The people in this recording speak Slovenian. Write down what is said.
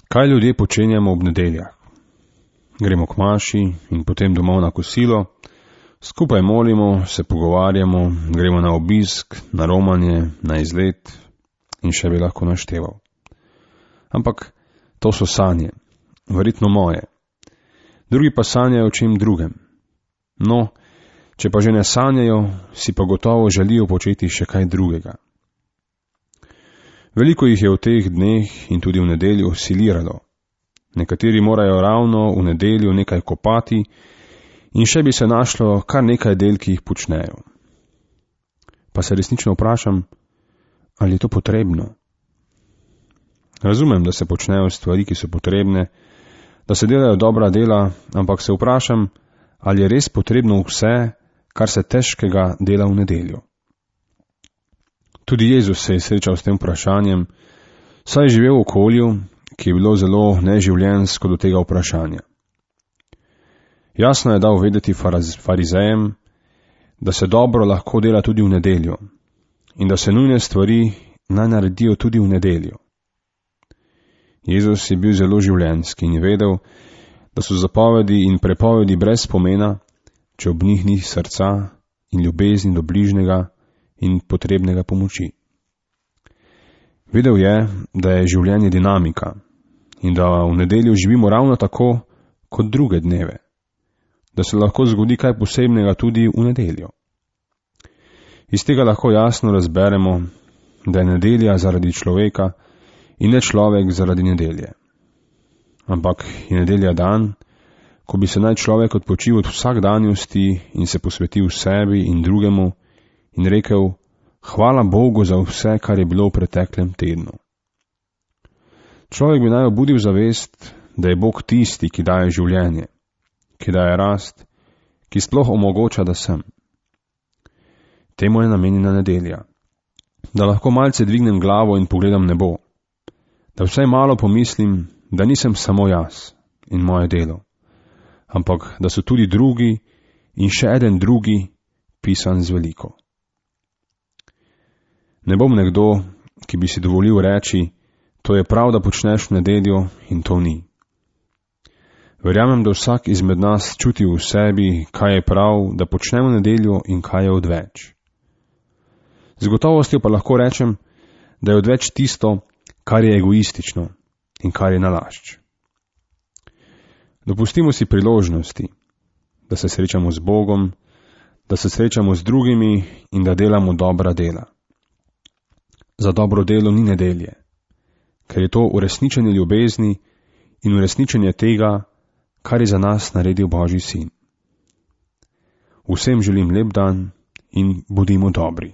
Kaj ljudje počenjamo ob nedeljah? Gremo k maši in potem domov na kosilo, skupaj molimo, se pogovarjamo, gremo na obisk, na romanje, na izlet in še bi lahko našteval. Ampak to so sanje, verjetno moje. Drugi pa sanjajo o čem drugem. No, če pa že ne sanjajo, si pa gotovo želijo početi še kaj drugega. Veliko jih je v teh dneh in tudi v nedeljo siliralo. Nekateri morajo ravno v nedeljo nekaj kopati in še bi se našlo kar nekaj del, ki jih počnejo. Pa se resnično vprašam, ali je to potrebno? Razumem, da se počnejo stvari, ki so potrebne, da se delajo dobra dela, ampak se vprašam, ali je res potrebno vse, kar se težkega dela v nedeljo. Tudi Jezus se je srečal s tem vprašanjem, saj je živel v okolju, ki je bilo zelo neživljenjsko do tega vprašanja. Jasno je dal vedeti farizejem, da se dobro lahko dela tudi v nedeljo in da se nujne stvari naj naredijo tudi v nedeljo. Jezus je bil zelo življenjski in je vedel, da so zapovedi in prepovedi brez pomena, če ob njih ni srca in ljubezni do bližnjega in potrebnega pomoči. Vedel je, da je življenje dinamika in da v nedeljo živimo ravno tako kot druge dneve, da se lahko zgodi kaj posebnega tudi v nedeljo. Iz tega lahko jasno razberemo, da je nedelja zaradi človeka in ne človek zaradi nedelje. Ampak je nedelja dan, ko bi se naj človek odpočil od vsakdanjosti in se posvetil sebi in drugemu in rekel, hvala Bogu za vse, kar je bilo v preteklem tednu. Človek bi naj obudil zavest, da je Bog tisti, ki daje življenje, ki daje rast, ki sploh omogoča, da sem. Temu je namenjena nedelja, da lahko malce dvignem glavo in pogledam nebo, da vsaj malo pomislim, da nisem samo jaz in moje delo, ampak da so tudi drugi in še eden drugi pisan z veliko. Ne bom nekdo, ki bi si dovolil reči, to je prav, da počneš v nedeljo in to ni. Verjamem, da vsak izmed nas čuti v sebi, kaj je prav, da počne v nedeljo in kaj je odveč. Z gotovostjo pa lahko rečem, da je odveč tisto, kar je egoistično in kar je nalašč. Dopustimo si priložnosti, da se srečamo z Bogom, da se srečamo z drugimi in da delamo dobra dela. Za dobro delo ni nedelje, ker je to uresničenje ljubezni in uresničenje tega, kar je za nas naredil Božji sin. Vsem želim lep dan in bodimo dobri.